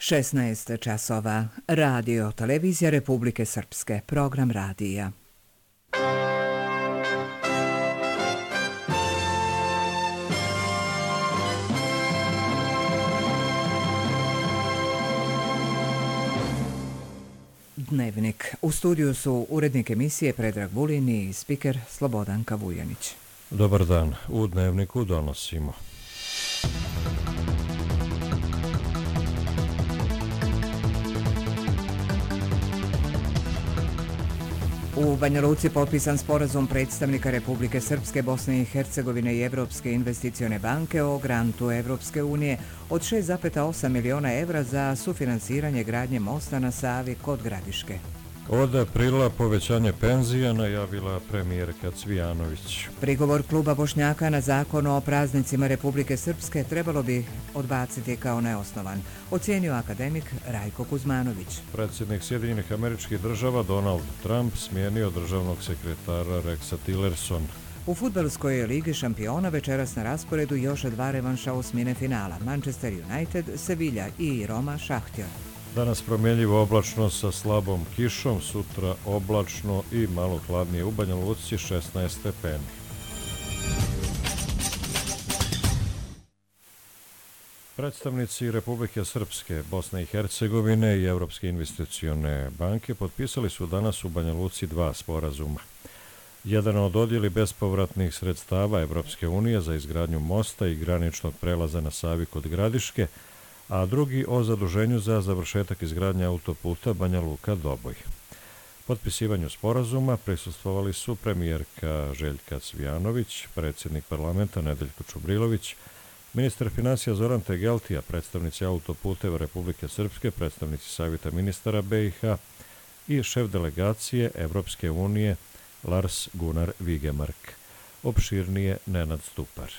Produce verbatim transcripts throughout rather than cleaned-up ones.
šesnaest časova. Radio Televizija Republike Srpske. Program radija. Dnevnik. U studiju su urednik emisije Predrag Vulin i spiker Slobodanka Vujanić. Dobar dan. U Dnevniku donosimo. U Banja Luci potpisan sporazum predstavnika Republike Srpske, Bosne i Hercegovine i Evropske investicione banke o grantu Evropske unije od šest zarez osam miliona evra za sufinansiranje gradnje mosta na Savi kod Gradiške. Od aprila povećanje penzija najavila premijerka Cvijanović. Prigovor kluba Bošnjaka na zakon o praznicima Republike Srpske trebalo bi odbaciti kao neosnovan, ocijenio akademik Rajko Kuzmanović. Predsjednik Sjedinjenih Američkih Država Donald Trump smijenio državnog sekretara Rexa Tillerson. U fudbalskoj ligi šampiona večeras na rasporedu još dva revanša osmine finala. Manchester United, Sevilla i Roma Šahtjor. Danas promjenjivo oblačno sa slabom kišom, sutra oblačno i malo hladnije u Banja Luci šesnaest stepeni. Predstavnici Republike Srpske, Bosne i Hercegovine i Evropske investicione banke potpisali su danas u Banja Luci dva sporazuma. Jedan o dodjeli bespovratnih sredstava Evropske unije za izgradnju mosta i graničnog prelaza na Savi kod Gradiške, a drugi o zaduženju za završetak izgradnje autoputa Banja Luka-Doboj. Potpisivanju sporazuma prisustvovali su premijerka Željka Cvijanović, predsjednik parlamenta Nedeljko Čubrilović, ministar financija Zoran Tegeltija, predstavnici autoputeva Republike Srpske, predstavnici Savjeta ministara B i H i šef delegacije Evropske unije Lars Gunnar Vigemark. Opširnije Nenad Stupar.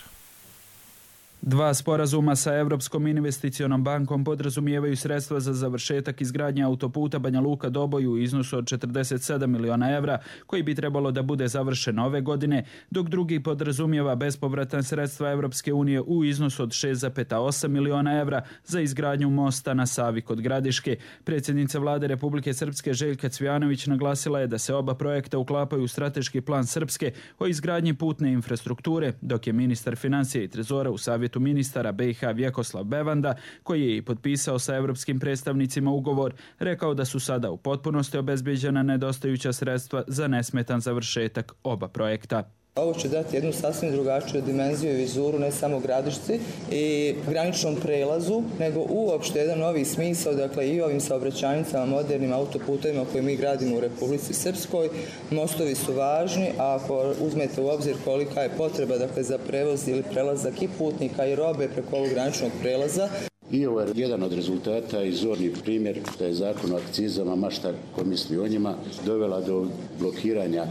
Dva sporazuma sa Evropskom investicionom bankom podrazumijevaju sredstva za završetak izgradnje autoputa Banja Luka-Doboj u iznosu od četrdeset sedam miliona evra, koji bi trebalo da bude završen ove godine, dok drugi podrazumijeva bespovratna sredstva Evropske unije u iznosu od šest zarez osam miliona evra za izgradnju mosta na Savi kod Gradiške. Predsjednica vlade Republike Srpske Željka Cvijanović naglasila je da se oba projekta uklapaju u strateški plan Srpske o izgradnji putne infrastrukture, dok je ministar financija i trezora u Savjetu ministara B i H Vjekoslav Bevanda, koji je i potpisao sa evropskim predstavnicima ugovor, rekao da su sada u potpunosti obezbeđena nedostajuća sredstva za nesmetan završetak oba projekta. Ovo će dati jednu sasvim drugačiju dimenziju i vizuru ne samo Gradišci i graničnom prelazu, nego uopšte jedan novi smisao, dakle i ovim saobraćajnicama, modernim autoputovima koje mi gradimo u Republici Srpskoj. Mostovi su važni, a ako uzmete u obzir kolika je potreba, dakle, za prevoz ili prelazak i putnika i robe preko ovog graničnog prelaza. I ovo je jedan od rezultata i zorni primjer da je zakon o akcizama, mašta ko misli o njima, dovela do blokiranja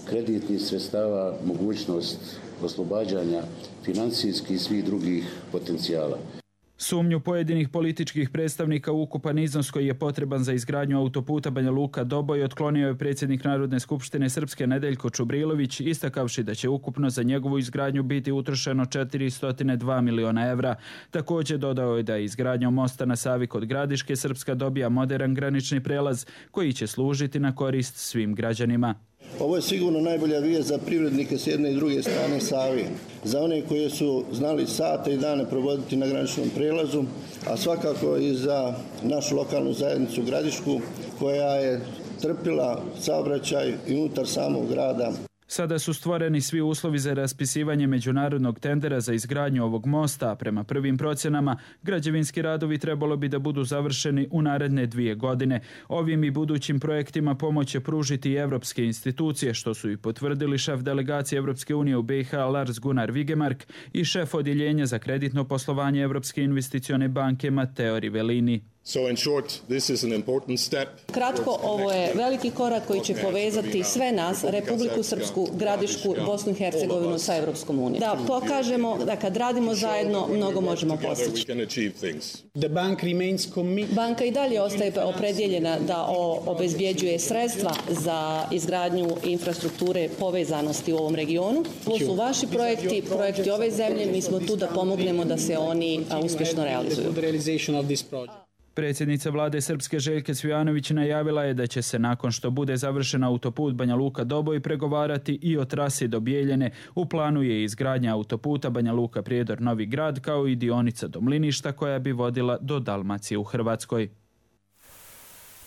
kreditnih sredstava, mogućnost oslobađanja financijskih i svih drugih potencijala. Sumnju pojedinih političkih predstavnika u ukupan iznos koji je potreban za izgradnju autoputa Banja Luka-Doboj otklonio je predsjednik Narodne skupštine Srpske Nedeljko Čubrilović, istakavši da će ukupno za njegovu izgradnju biti utrošeno četiristo dva miliona evra. Također dodao je da izgradnjom mosta na Savi kod Gradiške Srpska dobija moderan granični prelaz koji će služiti na korist svim građanima. Ovo je sigurno najbolja vijest za privrednike s jedne i druge strane Save, za one koji su znali sate i dane provoditi na graničnom prelazu, a svakako i za našu lokalnu zajednicu Gradišku, koja je trpila saobraćaj i unutar samog grada. Sada su stvoreni svi uslovi za raspisivanje međunarodnog tendera za izgradnju ovog mosta, a prema prvim procjenama građevinski radovi trebalo bi da budu završeni u naredne dvije godine. Ovim i budućim projektima pomoć će pružiti i evropske institucije, što su i potvrdili šef delegacije Evropske unije u B i H Lars Gunnar Vigemark i šef odjeljenja za kreditno poslovanje Evropske investicione banke Matteo Rivellini. So in short, this is an important step. Kratko, ovo je veliki korak koji će povezati sve nas, Republiku Srpsku, Gradišku, Bosnu i Hercegovinu sa Evropskom unijom. Da pokažemo da kad radimo zajedno, mnogo možemo postići. Banka i dalje ostaje opredjeljena da obezbjeđuje sredstva za izgradnju infrastrukture povezanosti u ovom regionu. Ovo su vaši projekti, projekti ove zemlje, mi smo tu da pomognemo da se oni uspješno realizuju. Predsjednica vlade Srpske Željka Cvijanović najavila je da će se nakon što bude završen autoput Banja Luka-Doboj pregovarati i o trasi do Bijeljine. U planu je izgradnja autoputa Banja Luka-Prijedor-Novi Grad kao i dionica do Mliništa koja bi vodila do Dalmacije u Hrvatskoj.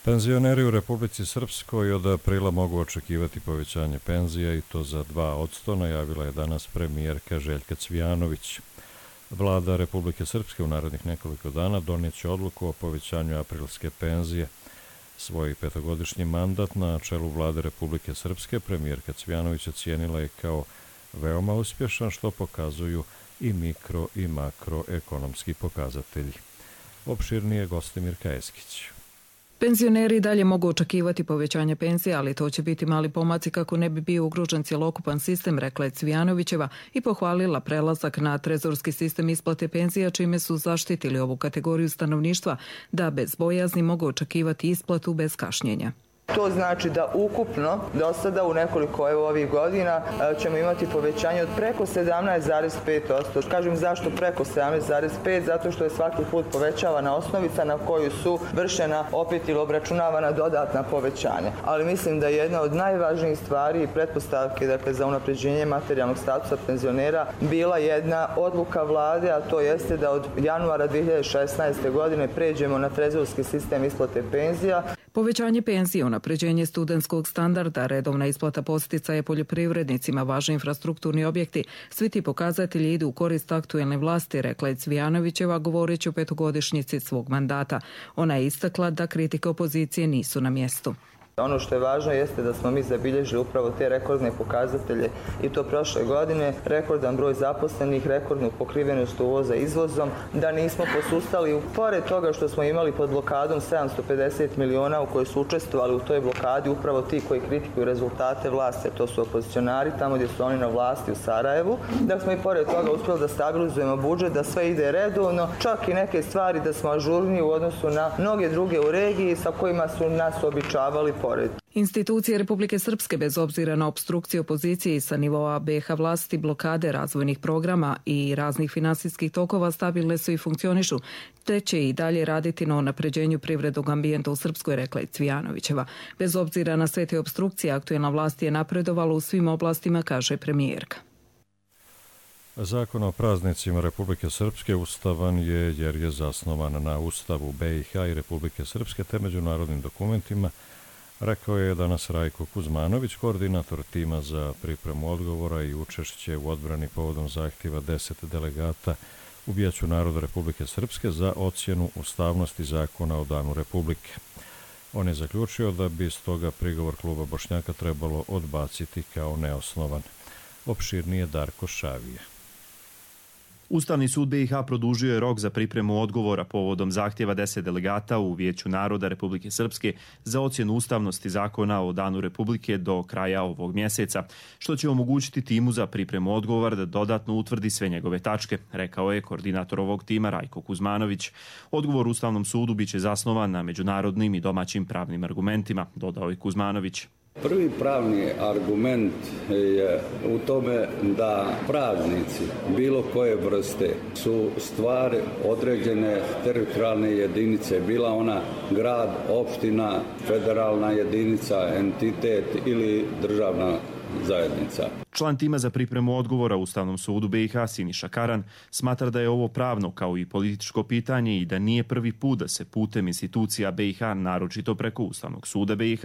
Penzioneri u Republici Srpskoj od aprila mogu očekivati povećanje penzija i to za dva posto, najavila je danas premijerka Željka Cvijanović. Vlada Republike Srpske u narednih nekoliko dana donijet će odluku o povećanju aprilske penzije. Svoj petogodišnji mandat na čelu vlade Republike Srpske premijerka Cvijanović ocijenila je kao veoma uspješan, što pokazuju i mikro i makroekonomski pokazatelji. Opširnije Gostimir Kajeskić. Penzioneri dalje mogu očekivati povećanje penzija, ali to će biti mali pomaci kako ne bi bio ugrožen cjelokupan sistem, rekla je Cvijanovićeva i pohvalila prelazak na trezorski sistem isplate penzija, čime su zaštitili ovu kategoriju stanovništva da bez bojazni mogu očekivati isplatu bez kašnjenja. To znači da ukupno do sada u nekoliko evo ovih godina ćemo imati povećanje od preko sedamnaest zarez pet posto. Kažem zašto preko sedamnaest zarez pet? Zato što je svaki put povećavana osnovica na koju su vršena opet ili obračunavana dodatna povećanja. Ali mislim da je jedna od najvažnijih stvari i pretpostavke dakle, za unapređenje materijalnog statusa penzionera bila jedna odluka vlade, a to jeste da od januara dvije hiljade šesnaeste. godine pređemo na trezorski sistem isplate penzija. Povećanje penzije, unapređenje studentskog standarda, redovna isplata posticaja poljoprivrednicima, važni infrastrukturni objekti, svi ti pokazatelji idu u korist aktuelne vlasti, rekla je Cvijanovićeva govoreći o petogodišnjici svog mandata. Ona je istakla da kritike opozicije nisu na mjestu. Ono što je važno jeste da smo mi zabilježili upravo te rekordne pokazatelje i to prošle godine, rekordan broj zaposlenih, rekordnu pokrivenost uvoza izvozom, da nismo posustali, pored toga što smo imali pod blokadom sedamsto pedeset miliona u kojoj su učestvovali u toj blokadi upravo ti koji kritikuju rezultate vlasti, to su opozicionari tamo gdje su oni na vlasti u Sarajevu, da smo i pored toga uspjeli da stabilizujemo budžet, da sve ide redovno, čak i neke stvari da smo ažurniji u odnosu na mnoge druge u regiji sa kojima su nas običavali. Institucije Republike Srpske, bez obzira na opstrukcije opozicije i sa nivoa B iH vlasti, blokade razvojnih programa i raznih finansijskih tokova stabilne su i funkcionišu, te će i dalje raditi na unapređenju privrednog ambijenta u Srpskoj, rekla je Cvijanovićeva. Bez obzira na sve te opstrukcije, aktuelna vlast je napredovala u svim oblastima, kaže premijerka. Zakon o praznicima Republike Srpske ustavan je jer je zasnovan na Ustavu B iH i Republike Srpske te međunarodnim dokumentima, rekao je danas Rajko Kuzmanović, koordinator tima za pripremu odgovora i učešće u odbrani povodom zahtjeva deset delegata u Vijeću naroda Republike Srpske za ocjenu ustavnosti zakona o Danu Republike. On je zaključio da bi stoga prigovor kluba Bošnjaka trebalo odbaciti kao neosnovan. Opširnije Darko Šavije. Ustavni sud B iH produžio je rok za pripremu odgovora povodom zahtjeva deset delegata u Vijeću naroda Republike Srpske za ocjenu ustavnosti zakona o Danu Republike do kraja ovog mjeseca, što će omogućiti timu za pripremu odgovora da dodatno utvrdi sve njegove tačke, rekao je koordinator ovog tima Rajko Kuzmanović. Odgovor Ustavnom sudu biće zasnovan na međunarodnim i domaćim pravnim argumentima, dodao je Kuzmanović. Prvi pravni argument je u tome da praznici bilo koje vrste su stvar određene teritorijalne jedinice, bila ona grad, opština, federalna jedinica, entitet ili državna zajednica. Član tima za pripremu odgovora Ustavnom sudu B iH Siniša Karan smatra da je ovo pravno kao i političko pitanje i da nije prvi put da se putem institucija B iH, naročito preko Ustavnog suda B iH,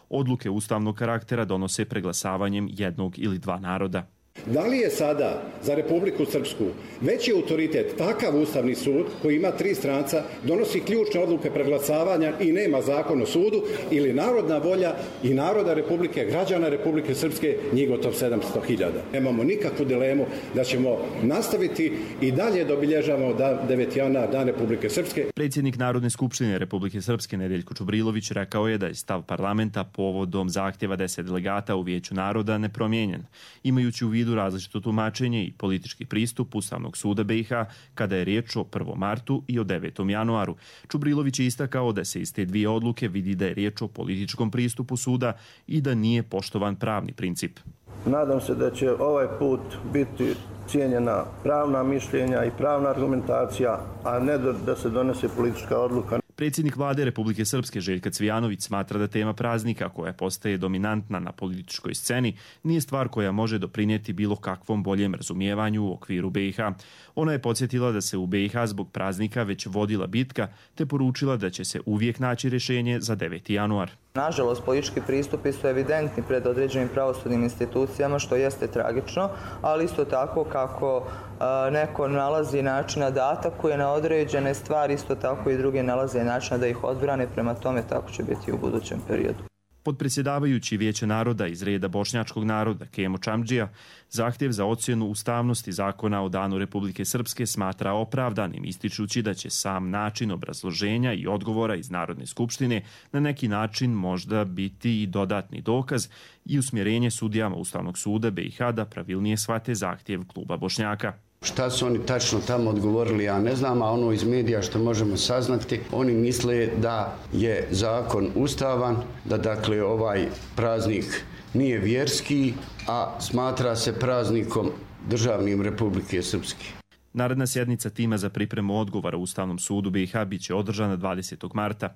odluke ustavnog karaktera donose preglasavanjem jednog ili dva naroda. Da li je sada za Republiku Srpsku veći autoritet takav Ustavni sud koji ima tri stranca, donosi ključne odluke preglasavanja i nema zakon o sudu, ili narodna volja i naroda Republike, građana Republike Srpske, njih gotov sedamsto hiljada. Nemamo nikakvu dilemu da ćemo nastaviti i dalje da obilježavamo deveti januar, Dan Republike Srpske. Predsjednik Narodne skupštine Republike Srpske Nedeljko Čubrilović rekao je da je stav parlamenta povodom zahtjeva deset delegata u Vijeću naroda nepromijenjen, imajući u vidu različito tumačenje i politički pristup Ustavnog suda B iH kada je riječ o prvom martu i o devetom januaru. Čubrilović je istakao da se iz te dvije odluke vidi da je riječ o političkom pristupu suda i da nije poštovan pravni princip. Nadam se da će ovaj put biti cijenjena pravna mišljenja i pravna argumentacija, a ne da se donese politička odluka. Predsjednik vlade Republike Srpske Željka Cvijanović smatra da tema praznika, koja postaje dominantna na političkoj sceni, nije stvar koja može doprinijeti bilo kakvom boljem razumijevanju u okviru B i H. Ona je podsjetila da se u B i H zbog praznika već vodila bitka, te poručila da će se uvijek naći rješenje za deveti januar. Nažalost, politički pristupi su evidentni pred određenim pravosudnim institucijama, što jeste tragično, ali isto tako kako a, neko nalazi načina da atakuje na određene stvari, isto tako i druge nalaze načina da ih odbrane, prema tome tako će biti u budućem periodu. Podpredsjedavajući Vijeće naroda iz reda bošnjačkog naroda Kemo Čamdžija zahtjev za ocjenu ustavnosti zakona o Danu Republike Srpske smatra opravdanim, ističući da će sam način obrazloženja i odgovora iz Narodne skupštine na neki način možda biti i dodatni dokaz i usmjerenje sudijama Ustavnog suda B i H da pravilnije shvate zahtjev kluba Bošnjaka. Šta su oni tačno tamo odgovorili, ja ne znam, a ono iz medija što možemo saznati, oni misle da je zakon ustavan, da dakle ovaj praznik nije vjerski, a smatra se praznikom državnim Republike Srpske. Naredna sjednica tima za pripremu odgovora u Ustavnom sudu B i H biće održana dvadesetog marta.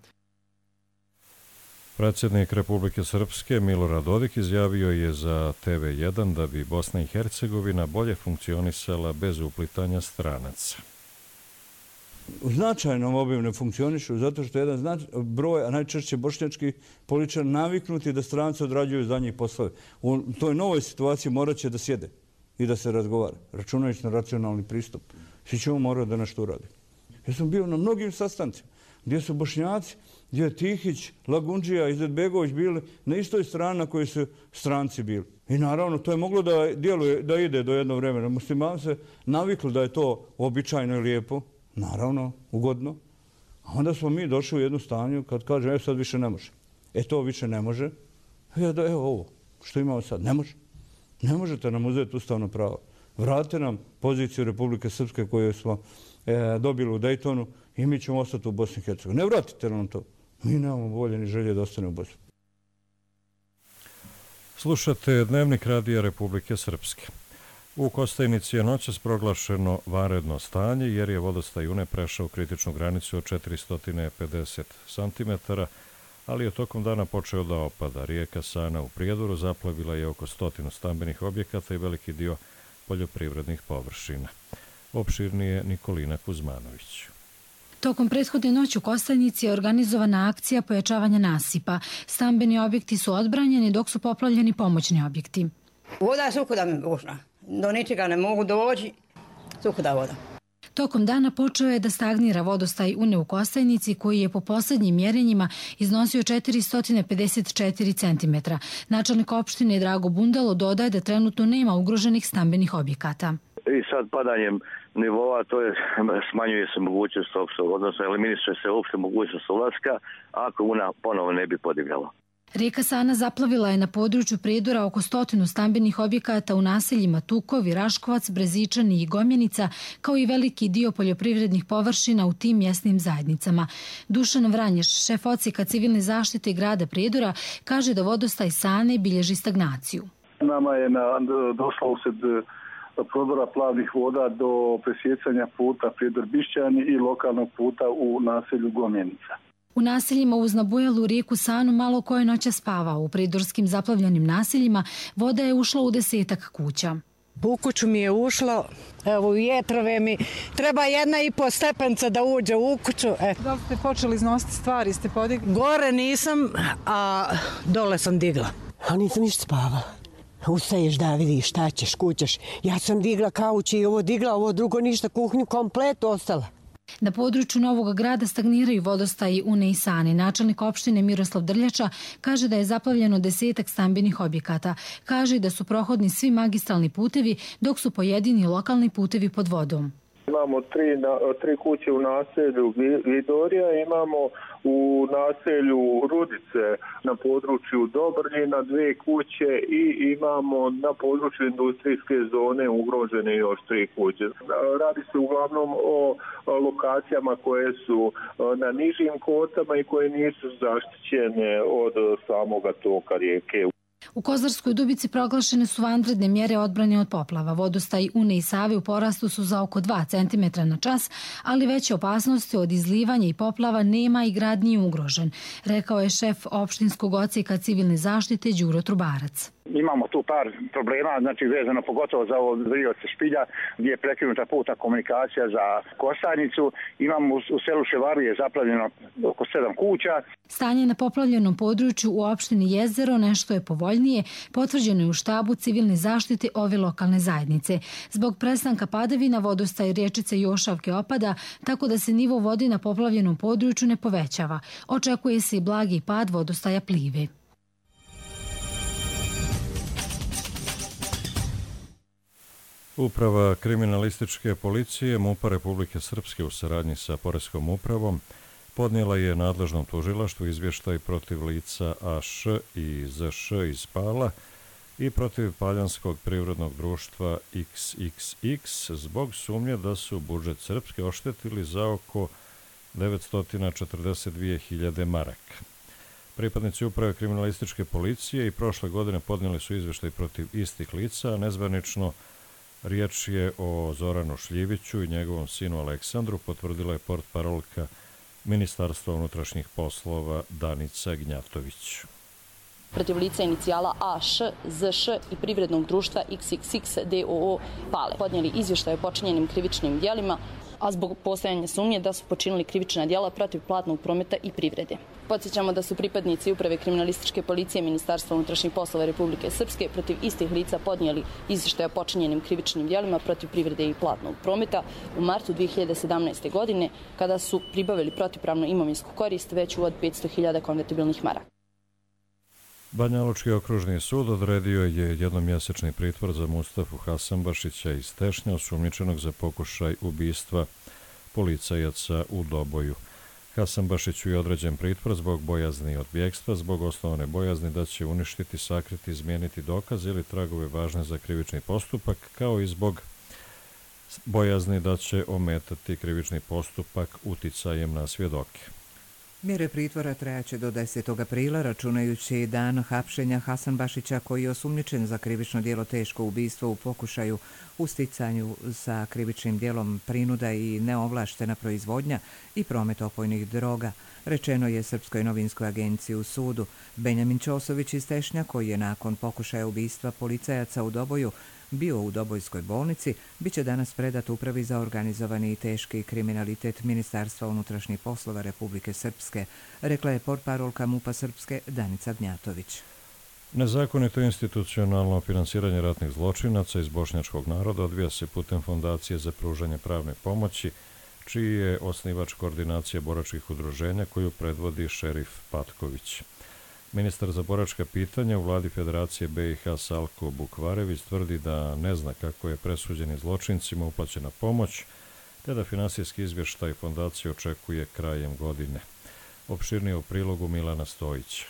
Predsjednik Republike Srpske Milorad Dodik izjavio je za T V jedan da bi Bosna i Hercegovina bolje funkcionisala bez uplitanja stranaca. U značajnom obimu ne funkcionišu zato što je jedan znač... broj, a najčešće bošnjački političar naviknuti da stranci odrađuju za njih poslove. U toj novoj situaciji morat će da sjede i da se razgovara, računajući na racionalni pristup. Svi ćemo morati da nešto uradi. Ja sam bio na mnogim sastancima gdje su Bošnjaci, gdje je Tihić, Lagundžija i Izetbegović bili na istoj strani na kojoj su stranci bili. I naravno, to je moglo da djeluje, da ide do jednog vremena. Muslimani se navikli da je to običajno i lijepo, naravno, ugodno. A onda smo mi došli u jednu stanju kad kaže, evo sad više ne može. E to više ne može. Ja da, evo ovo, što imamo sad, ne može. Ne možete nam uzeti ustavno pravo. Vratite nam poziciju Republike Srpske koju smo e, dobili u Dejtonu i mi ćemo ostati u Bosni i Hercegovini. Ne vratite nam to. Mi nemamo volje ni želje da ostane u Bosni. Slušate Dnevnik radija Republike Srpske. U Kostajnici je noćas proglašeno vanredno stanje jer je vodostaj Une prešao kritičnu granicu od četiristo pedeset centimetara, ali je tokom dana počeo da opada. Rijeka Sana u Prijedoru zaplavila je oko stotinu stambenih objekata i veliki dio poljoprivrednih površina. Opširnije Nikolina Kuzmanović. Tokom prethodne noći u Kostajnici je organizovana akcija pojačavanja nasipa. Stambeni objekti su odbranjeni dok su poplavljeni pomoćni objekti. Voda je suhuda mi bušna. Do ničega ne mogu doći. Suhuda voda. Tokom dana počeo je da stagnira vodostaj Une u Kostajnici koji je po posljednjim mjerenjima iznosio četiristo pedeset četiri centimetra. Načelnik opštine Drago Bundalo dodaje da trenutno nema ugroženih stambenih objekata. I sad padanjem nivoa to je, smanjuje se mogućnost opštog, odnosno eliminiše se uopšte mogućnost ulaska ako Una ponovo ne bi podigala. Rijeka Sana zaplavila je na području Prijedora oko stotinu stambenih objekata u naseljima Tukovi, Raškovac, Brezičani i Gomjenica, kao i veliki dio poljoprivrednih površina u tim mjesnim zajednicama. Dušan Vranješ, šef odsjeka civilne zaštite grada Prijedora, kaže da vodostaj Sane bilježi stagnaciju. Nama je na, došlo usred prodora plavnih voda do presjecanja puta Prijedor-Bišćani i lokalnog puta u naselju Gomjenica. U naseljima uz nabujalu rijeku Sanu malo koje noća spavao. U prijedorskim zaplavljenim naseljima voda je ušla u desetak kuća. U kuću mi je ušlo, evo u jetrove mi, treba jedna i po stepenca da uđe u kuću. Eto. Da li ste počeli iznositi stvari, ste podigli? Gore nisam, a dole sam digla. A nisam ništa spavala. Ustaješ da vidiš šta ćeš, kućeš. Ja sam digla kauć i ovo digla, ovo drugo ništa, kuhnju komplet ostala. Na području Novog grada stagniraju vodostaji Une i Sane. Načelnik opštine Miroslav Drljača kaže da je zaplavljeno desetak stambenih objekata. Kaže da su prohodni svi magistralni putevi, dok su pojedini lokalni putevi pod vodom. Imamo tri, tri kuće u naselju Vidorija, imamo u naselju Rudice na području Dobrnjina dve kuće i imamo na području industrijske zone ugrožene još tri kuće. Radi se uglavnom o lokacijama koje su na nižim kotama i koje nisu zaštićene od samoga toka rijeke. U Kozarskoj Dubici proglašene su vanredne mjere odbrane od poplava. Vodostaj Une i Save u porastu su za oko dva centimetra na čas, ali veće opasnosti od izlivanja i poplava nema i grad nije ugrožen, rekao je šef opštinskog odsjeka civilne zaštite Đuro Trubarac. Imamo tu par problema, znači vezano pogotovo za ovo Vrioce Špilja, gdje je prekinuta putna komunikacija za Kostajnicu. Imamo u selu Ševarije zaplavljeno oko sedam kuća. Stanje na poplavljenom području u opštini Jezero nešto je povoljnije, potvrđeno je u štabu civilne zaštite ove lokalne zajednice. Zbog prestanka padavina vodostaj riječice Jošavke opada, tako da se nivo vode na poplavljenom području ne povećava. Očekuje se i blagi pad vodostaja Plive. Uprava kriminalističke policije MUP-a Republike Srpske u saradnji sa Poreskom upravom podnijela je nadležnom tužilaštvu izvještaj protiv lica A Š i Z Š iz Pala i protiv Paljanskog privrednog društva X X X zbog sumnje da su budžet Srpske oštetili za oko devetsto četrdeset dvije hiljade maraka. Pripadnici uprave kriminalističke policije i prošle godine podnijeli su izvještaj protiv istih lica, a nezvanično riječ je o Zoranu Šljiviću i njegovom sinu Aleksandru, potvrdila je portparolka Ministarstva unutrašnjih poslova Danica Gnjatović. Protiv lica inicijala A Š, Z Š i privrednog društva X X X D O O Pale podnijeli izvještaj o počinjenim krivičnim djelima, a zbog postojanja sumnje da su počinili krivična djela protiv platnog prometa i privrede. Podsjećamo da su pripadnici uprave kriminalističke policije Ministarstva unutrašnjih poslova Republike Srpske protiv istih lica podnijeli izvještaj o počinjenim krivičnim djelima protiv privrede i platnog prometa u martu dvije hiljade sedamnaeste. godine, kada su pribavili protivpravnu imovinsku korist veću od petsto hiljada konvertibilnih maraka. Banjalučki okružni sud odredio je jednomjesečni pritvor za Mustafu Hasanbašića iz Tešnja, osumnjičenog za pokušaj ubistva policajaca u Doboju. Hasanbašiću je određen pritvor zbog bojazni od bjegstva, zbog osnovane bojazni da će uništiti, sakriti, izmijeniti dokaze ili tragove važne za krivični postupak, kao i zbog bojazni da će ometati krivični postupak uticajem na svjedoke. Mjere pritvora trajaće do desetog aprila, računajući dan hapšenja Hasanbašića, koji je osumnjičen za krivično djelo teško ubistvo u pokušaju u sticanju sa krivičnim djelom prinuda i neovlaštena proizvodnja i promet opojnih droga, rečeno je Srpskoj novinskoj agenciji u sudu. Benjamin Ćosović iz Tešnja, koji je nakon pokušaja ubistva policajaca u Doboju bio u Dobojskoj bolnici, bit će danas predat Upravi za organizovani i teški kriminalitet Ministarstva unutrašnjih poslova Republike Srpske, rekla je portparolka MUP-a Srpske Danica Gnjatović. Nezakonito institucionalno finansiranje ratnih zločinaca iz bošnjačkog naroda odvija se putem Fondacije za pružanje pravne pomoći, čiji je osnivač koordinacija boračkih udruženja koju predvodi šerif Patković. Ministar za boračka pitanja u vladi Federacije B i H Salko Bukvarević tvrdi da ne zna kako je presuđeni zločincima uplaćena pomoć, te da finansijski izvještaj fondacije očekuje krajem godine. Opširnije u prilogu Milana Stojića.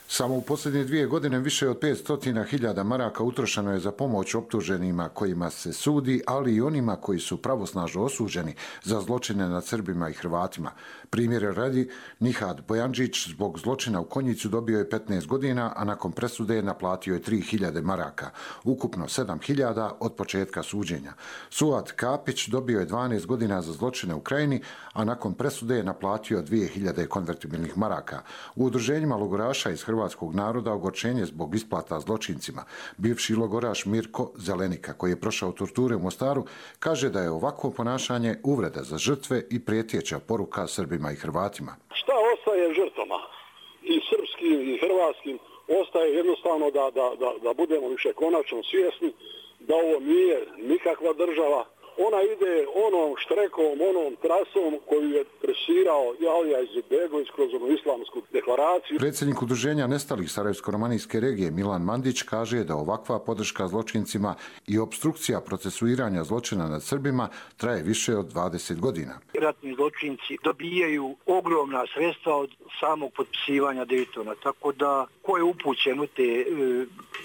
Samo u posljednje dvije godine više od petsto hiljada maraka utrošeno je za pomoć optuženima kojima se sudi, ali i onima koji su pravosnažno osuđeni za zločine nad Srbima i Hrvatima. Primjere radi, Nihad Bojanđić zbog zločina u Konjicu dobio je petnaest godina, a nakon presude naplatio je tri hiljade maraka, ukupno sedam hiljada od početka suđenja. Suad Kapić dobio je dvanaest godina za zločine u Krajini, a nakon presude je naplatio dvije hiljade konvertibilnih maraka. U udruženjima logoraša iz hrvatskog naroda ogorčenje zbog isplata zločincima. Bivši logoraš Mirko Zelenika, koji je prošao torture u Mostaru, kaže da je ovakvo ponašanje uvreda za žrtve i prijetjeća poruka Srbima i Hrvatima. Šta ostaje žrtvama i srpskim i hrvatskim? Ostaje jednostavno da, da, da, da budemo više konačno svjesni da ovo nije nikakva država. Ona ide onom štrekom, onom trasom koju je presirao Alija Izetbegović kroz onu islamsku deklaraciju. Predsjednik udruženja nestalih Sarajevsko-romanijske regije Milan Mandić kaže da ovakva podrška zločincima i obstrukcija procesuiranja zločina nad Srbima traje više od dvadeset godina. Ratni zločinci dobijaju ogromna sredstva od samog potpisivanja Daytona, tako da ko je upućen u te e,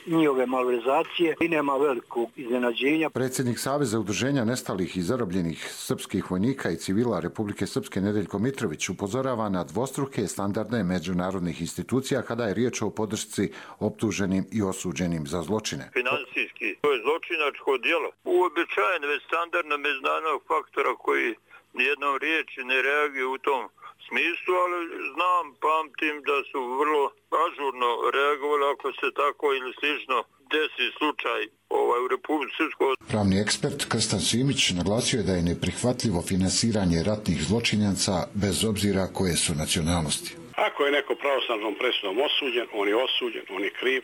njihove malverzacije i nema velikog iznenađenja. Predsjednik Saveza udruženja nestalih nestalih i zarobljenih srpskih vojnika i civila Republike Srpske Nedeljko Mitrović upozorava na dvostruke standarde međunarodnih institucija kada je riječ o podršci optuženim i osuđenim za zločine. Finansijski, to je zločinačko djelo. Uobičajen već standardno međunarodnog faktora koji nijednom riječi ne reaguje u tom smislu, ali znam, pamtim da su vrlo ažurno reagovali ako se tako ili slično desi slučaj ovaj, u Republici Srpskoj. Pravni ekspert Krstan Simić naglasio je da je neprihvatljivo finansiranje ratnih zločinaca bez obzira koje su nacionalnosti. Ako je neko pravosnažnom presudom osuđen, on je osuđen, on je kriv,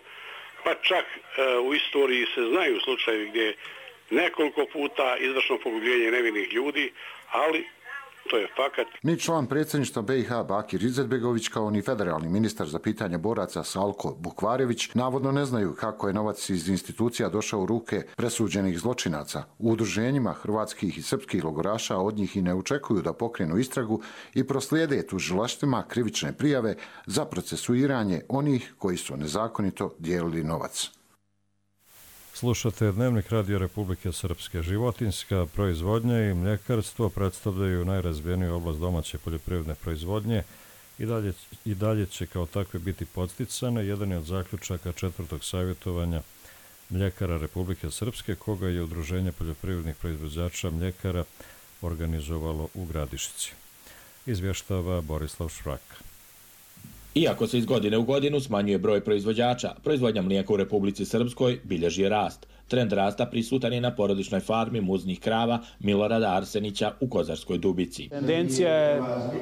pa čak e, u istoriji se znaju slučajevi gdje je nekoliko puta izvršno pogubljenje nevinih ljudi, ali to je fakat. Ni član predsjedništva B i H Bakir Izetbegović kao ni federalni ministar za pitanje boraca Salko Bukvarević navodno ne znaju kako je novac iz institucija došao u ruke presuđenih zločinaca. U udruženjima hrvatskih i srpskih logoraša od njih i ne očekuju da pokrenu istragu i proslijede tužilaštvima krivične prijave za procesuiranje onih koji su nezakonito dijelili novac. Slušate Dnevnik Radio Republike Srpske. Životinjska proizvodnja i mljekarstvo predstavljaju najrazvijeniju oblast domaće poljoprivredne proizvodnje i dalje, i dalje će kao takve biti podsticane. Jedan je od zaključaka četvrtog savjetovanja mljekara Republike Srpske, koga je Udruženje poljoprivrednih proizvođača mljekara organizovalo u Gradišci. Izvještava Borislav Švrak. Iako se iz godine u godinu smanjuje broj proizvođača, proizvodnja mlijeka u Republici Srpskoj bilježi rast. Trend rasta prisutan je na porodičnoj farmi muznih krava Milorada Arsenića u Kozarskoj Dubici. Tendencija je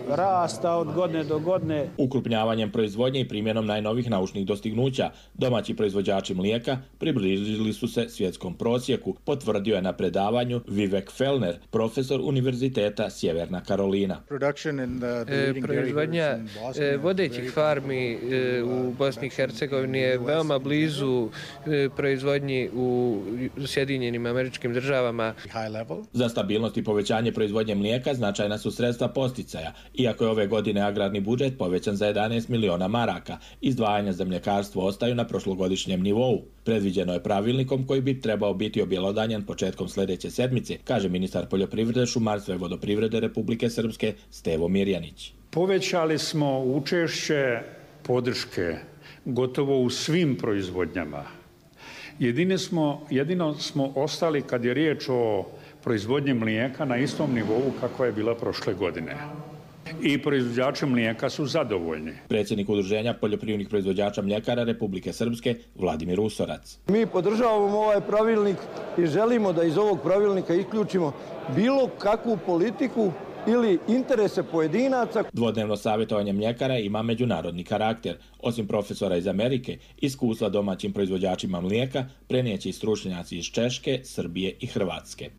rasta od godine do godine. Ukrupnjavanjem proizvodnje i primjenom najnovih naučnih dostignuća, domaći proizvođači mlijeka približili su se svjetskom prosjeku, potvrdio je na predavanju Vivek Fellner, profesor Univerziteta Sjeverna Karolina. E, proizvodnja e, vodećih farmi e, u Bosni i Hercegovini je veoma blizu e, proizvodnji u Sjedinjenim Američkim Državama. Za stabilnost i povećanje proizvodnje mlijeka značajna su sredstva posticaja. Iako je ove godine agrarni budžet povećan za jedanaest miliona maraka, izdvajanja za mljekarstvo ostaju na prošlogodišnjem nivou. Predviđeno je pravilnikom koji bi trebao biti objelodanjen početkom sljedeće sedmice, kaže ministar poljoprivrede, šumarstva i vodoprivrede Republike Srpske Stevo Mirjanić. Povećali smo učešće podrške gotovo u svim proizvodnjama. Jedine smo, jedino smo ostali kad je riječ o proizvodnji mlijeka na istom nivou kako je bila prošle godine. I proizvođači mlijeka su zadovoljni. Predsjednik Udruženja poljoprivrednih proizvođača mljekara Republike Srpske Vladimir Usorac. Mi podržavamo ovaj pravilnik i želimo da iz ovog pravilnika isključimo bilo kakvu politiku ili interese pojedinaca. Dvodnevno savjetovanje mljekara ima međunarodni karakter. Osim profesora iz Amerike, iskustva domaćim proizvođačima mlijeka prenijeće i stručnjaci iz Češke, Srbije i Hrvatske.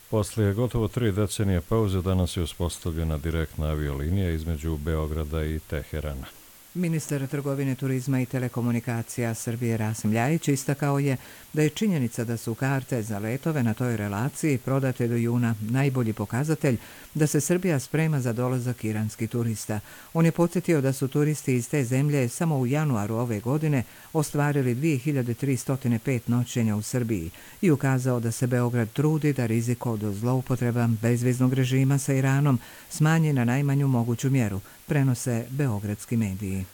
Poslije gotovo tri decenije pauze danas je uspostavljena direktna aviolinija između Beograda i Teherana. Ministar trgovine, turizma i telekomunikacija Srbije Rasim Ljajić istakao je da je činjenica da su karte za letove na toj relaciji prodate do juna najbolji pokazatelj da se Srbija sprema za dolazak iranskih turista. On je podsjetio da su turisti iz te zemlje samo u januaru ove godine ostvarili dvije hiljade tristo pet noćenja u Srbiji i ukazao da se Beograd trudi da rizik od zloupotreba bezviznog režima sa Iranom smanji na najmanju moguću mjeru, prenose beogradski mediji.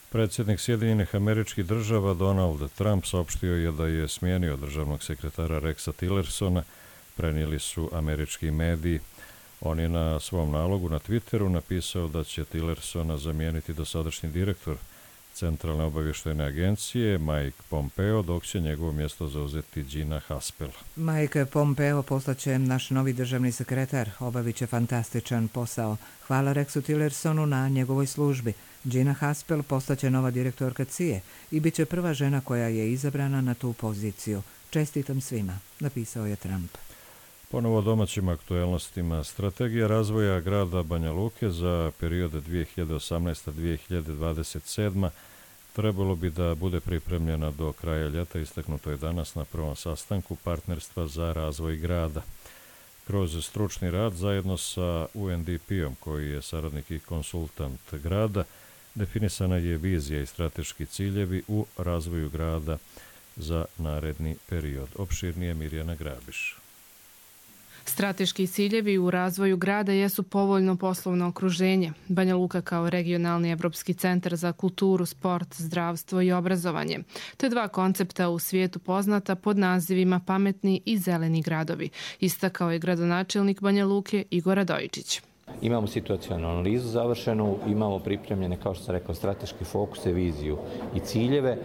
Predsjednik Sjedinjenih Američkih Država Donald Trump saopštio je da je smijenio državnog sekretara Rexa Tillersona, prenijeli su američki mediji. On je na svom nalogu na Twitteru napisao da će Tillersona zamijeniti dosadašnji direktor Centralne obavještajne agencije Mike Pompeo, dok će njegovo mjesto zauzeti Gina Haspel. Mike Pompeo postaće naš novi državni sekretar, obavit će fantastičan posao. Hvala Rexu Tillersonu na njegovoj službi. Gina Haspel postaće nova direktorka C I A i bit će prva žena koja je izabrana na tu poziciju. Čestitam svima, napisao je Trump. Ponovo o domaćim aktuelnostima. Strategija razvoja grada Banja Luke za period dvije hiljade osamnaesta do dvije hiljade dvadeset sedma trebalo bi da bude pripremljena do kraja ljeta, istaknuto je danas na prvom sastanku Partnerstva za razvoj grada. Kroz stručni rad zajedno sa U N D P-om, koji je saradnik i konsultant grada, definisana je vizija i strateški ciljevi u razvoju grada za naredni period. Opširnije Mirjana Grabiš. Strateški ciljevi u razvoju grada jesu povoljno poslovno okruženje, Banja Luka kao regionalni evropski centar za kulturu, sport, zdravstvo i obrazovanje, te dva koncepta u svijetu poznata pod nazivima pametni i zeleni gradovi, istakao je gradonačelnik Banja Luke Igor Radojičić. Imamo situacijalnu analizu završenu, imamo pripremljene, kao što sam rekao, strateški fokuse, viziju i ciljeve.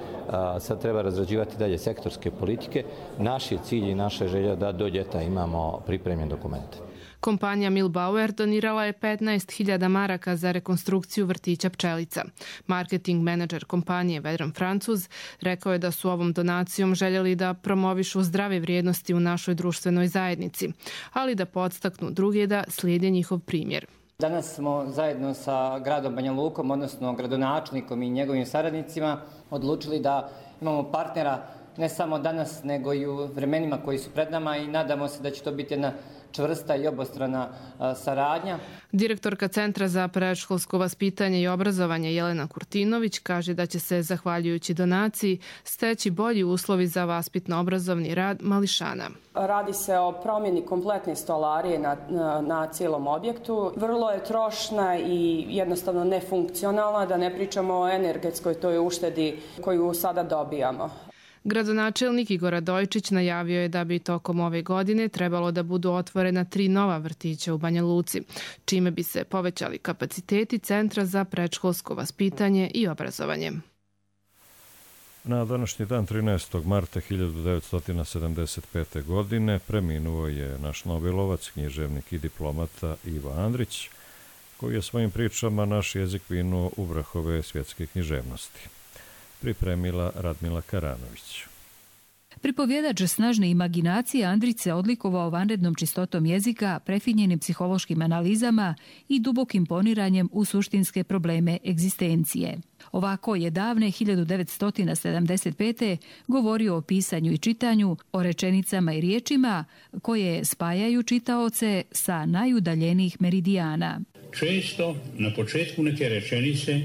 Sad treba razrađivati dalje sektorske politike. Naš je cilj i naša želja da do ljeta imamo pripremljen dokument. Kompanija Milbauer donirala je petnaest hiljada maraka za rekonstrukciju vrtića Pčelica. Marketing menadžer kompanije Vedran Francuz rekao je da su ovom donacijom željeli da promovišu zdrave vrijednosti u našoj društvenoj zajednici, ali da podstaknu druge da slijede njihov primjer. Danas smo zajedno sa gradom Banja Lukom, odnosno gradonačelnikom i njegovim saradnicima, odlučili da imamo partnera ne samo danas, nego i u vremenima koji su pred nama i nadamo se da će to biti jedna čvrsta i obostrana saradnja. Direktorka Centra za predškolsko vaspitanje i obrazovanje Jelena Kurtinović kaže da će se, zahvaljujući donaciji, steći bolji uslovi za vaspitno-obrazovni rad mališana. Radi se o promjeni kompletne stolarije na, na, na cijelom objektu. Vrlo je trošna i jednostavno nefunkcionalna, da ne pričamo o energetskoj toj uštedi koju sada dobijamo. Gradonačelnik Igor Radojičić najavio je da bi tokom ove godine trebalo da budu otvorena tri nova vrtića u Banja Luci, čime bi se povećali kapaciteti Centra za predškolsko vaspitanje i obrazovanje. Na današnji dan trinaestog marta hiljadu devetsto sedamdeset pete. godine preminuo je naš Nobelovac, književnik i diplomata Ivo Andrić, koji je svojim pričama naš jezik vinuo u vrhove svjetske književnosti. Pripremila Radmila Karanović. Pripovjedač snažne imaginacije Andrić se odlikovao vanrednom čistotom jezika, prefinjenim psihološkim analizama i dubokim poniranjem u suštinske probleme egzistencije. Ovako je davne hiljadu devetsto sedamdeset pete. govorio o pisanju i čitanju, o rečenicama i riječima koje spajaju čitaoce sa najudaljenijih meridijana. Često na početku neke rečenice,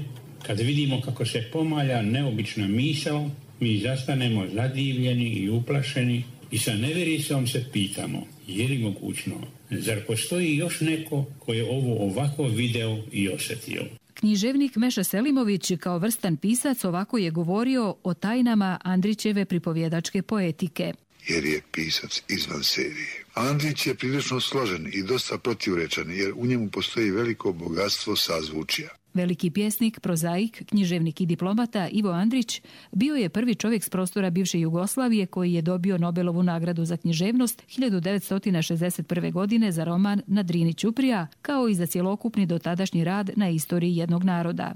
kad vidimo kako se pomalja neobična misao, mi zastanemo zadivljeni i uplašeni i sa nevjericom se pitamo, je li mogućno, zar postoji još neko ko je ovo ovako video i osjetio? Književnik Meša Selimović kao vrstan pisac ovako je govorio o tajnama Andrićeve pripovjedačke poetike. Jer je pisac izvan serije. Andrić je prilično složen i dosta protivrečan, jer u njemu postoji veliko bogatstvo sazvučja. Veliki pjesnik, prozaik, književnik i diplomata Ivo Andrić bio je prvi čovjek s prostora bivše Jugoslavije koji je dobio Nobelovu nagradu za književnost hiljadu devetsto šezdeset prve. godine za roman Na Drini Ćuprija, kao i za cjelokupni dotadašnji rad na istoriji jednog naroda.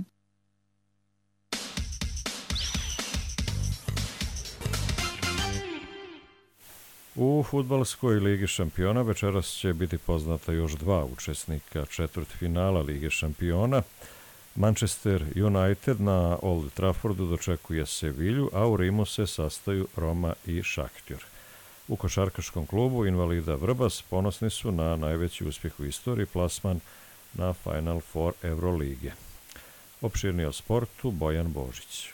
U fudbalskoj ligi šampiona večeras će biti poznata još dva učesnika četvrtfinala Lige šampiona. Manchester United na Old Traffordu dočekuje Sevilju, a u Rimu se sastaju Roma i Šahtjor. U košarkaškom klubu Invalida Vrbas ponosni su na najveći uspjeh u istoriji, plasman na Final Four Eurolige. Opširni o sportu Bojan Božić.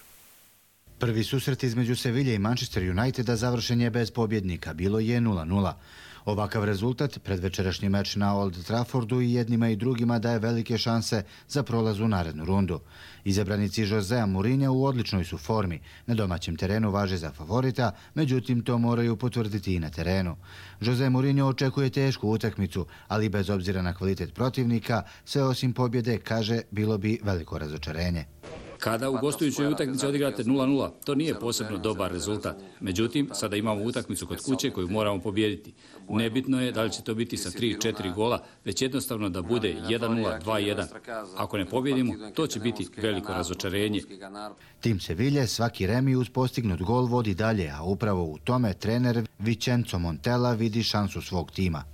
Prvi susret između Sevilje i Manchester Uniteda završen je bez pobjednika, bilo je nula nula. Ovakav rezultat pred večerašnji meč na Old Traffordu i jednima i drugima daje velike šanse za prolaz u narednu rundu. Izabranici Josea Mourinha u odličnoj su formi. Na domaćem terenu važe za favorita, međutim to moraju potvrditi i na terenu. Jose Mourinho očekuje tešku utakmicu, ali bez obzira na kvalitet protivnika, sve osim pobjede, kaže, bilo bi veliko razočarenje. Kada u gostujućoj utakmici odigrate nula nula, to nije posebno dobar rezultat. Međutim, sada imamo utakmicu kod kuće koju moramo pobijediti. Nebitno je da li će to biti sa tri četiri gola, već jednostavno da bude jedan nula, dva jedan. Ako ne pobjedimo, to će biti veliko razočarenje. Tim Sevilje svaki remi uz postignut gol vodi dalje, a upravo u tome trener Vincenzo Montella vidi šansu svog tima.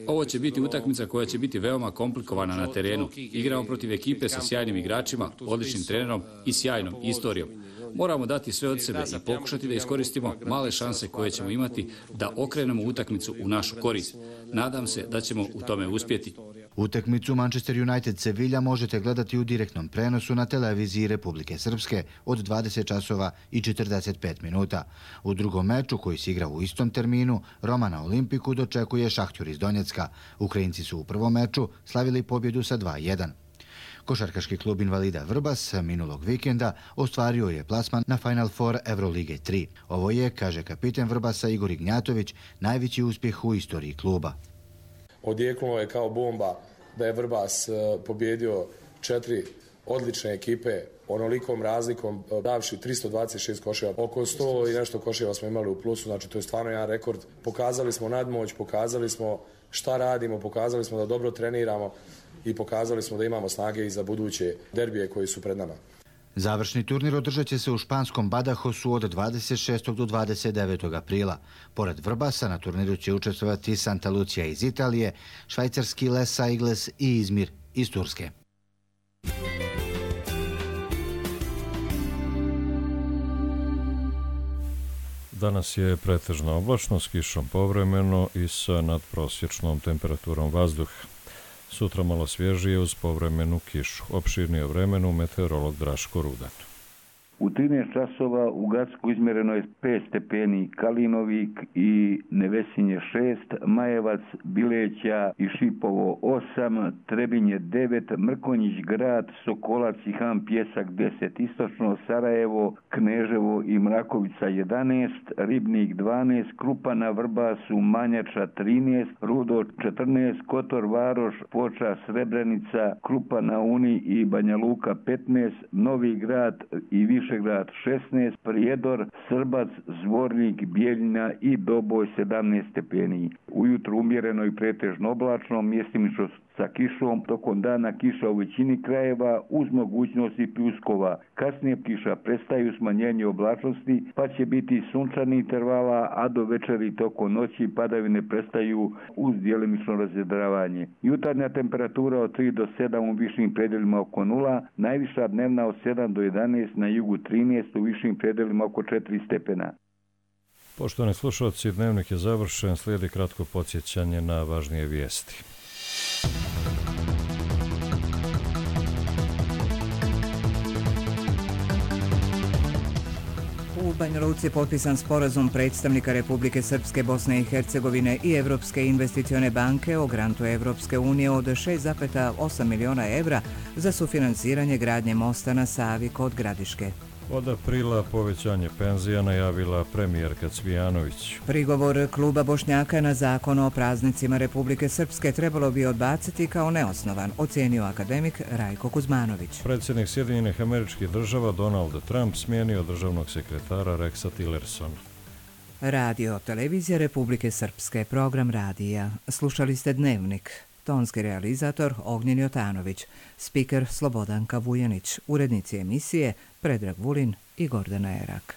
Ovo će biti utakmica koja će biti veoma komplikovana na terenu. Igramo protiv ekipe sa sjajnim igračima, odličnim trenerom i sjajnom istorijom. Moramo dati sve od sebe i pokušati da iskoristimo male šanse koje ćemo imati da okrenemo utakmicu u našu korist. Nadam se da ćemo u tome uspjeti. Utakmicu Manchester United Sevilla možete gledati u direktnom prenosu na televiziji Republike Srpske od dvadeset časova i četrdeset pet minuta. U drugom meču, koji se igra u istom terminu, Roma na Olimpiku dočekuje Šahtjur iz Donjecka. Ukrajinci su u prvom meču slavili pobjedu sa dva jedan. Košarkaški klub Invalida Vrbas minulog vikenda ostvario je plasman na Final Four Eurolige tri. Ovo je, kaže kapiten Vrbasa Igor Ignjatović, najveći uspjeh u istoriji kluba. Odjeknulo je kao bomba da je Vrbas pobjedio četiri odlične ekipe onolikom razlikom, davši tristo dvadeset šest koševa. Oko sto i nešto koševa smo imali u plusu, znači to je stvarno jedan rekord. Pokazali smo nadmoć, pokazali smo šta radimo, pokazali smo da dobro treniramo i pokazali smo da imamo snage i za buduće derbije koji su pred nama. Završni turnir održat će se u španskom Badajosu od dvadeset šestog do dvadeset devetog aprila. Pored Vrbasa na turniru će učestvovati Santa Lucia iz Italije, švajcarski Les Aigles i Izmir iz Turske. Danas je pretežna oblačno s kišom povremeno i sa nadprosječnom temperaturom vazduha. Sutra malo svježije uz povremenu kišu. Opširnije o vremenu meteorolog Draško Rudan. U trinaest časova u Gacku izmjereno je pet stepeni, Kalinovik i Nevesinje šest, Majevac, Bileća i Šipovo osam, Trebinje devet, Mrkonjić grad, Sokolac i Han Pjesak deset, istočno Sarajevo, Kneževo i Mrakovica jedanaest, Ribnik dvanaest, Krupa na Vrbasu, Manjača trinaest, Rudo četrnaest, Kotor Varoš, Foča, Srebrenica, Krupa na Uni i Banja Luka petnaest, Novi grad i Višegrad šesnaest, Prijedor, Srbac, Zvornik, Bijeljina i Doboj sedamnaest stepeni. Ujutro umjereno i pretežno oblačno, mjestimično sa kišom, tokom dana kiša u većini krajeva uz mogućnosti pljuskova. Kasnije kiša prestaju smanjenje oblačnosti, pa će biti sunčani intervala, a do večeri tokom noći padavine prestaju uz djelimično razjedravanje. Jutarnja temperatura od tri do sedam u višim predelima oko nula, najviša dnevna od sedam do jedanaest, na jugu trinaest, u višim predelima oko četiri stepena. Poštovani slušalci, dnevnik je završen, slijedi kratko podsjećanje na važnije vijesti. U Banja Luci je potpisan sporazum predstavnika Republike Srpske, Bosne i Hercegovine i Evropske investicione banke o grantu Evropske unije od šest zarez osam miliona evra za sufinansiranje gradnje mosta na Savi kod Gradiške. Od aprila povećanje penzija najavila premijerka Cvijanović. Prigovor kluba Bošnjaka na zakon o praznicima Republike Srpske trebalo bi odbaciti kao neosnovan, ocijenio akademik Rajko Kuzmanović. Predsjednik Sjedinjenih Američkih Država Donald Trump smijenio državnog sekretara Rexa Tillersona. Radio Televizija Republike Srpske, program radija. Slušali ste Dnevnik. Tonski realizator Ognjen Jotanović, spiker Slobodanka Vujanić, urednici emisije Predrag Vulin i Gordana Erak.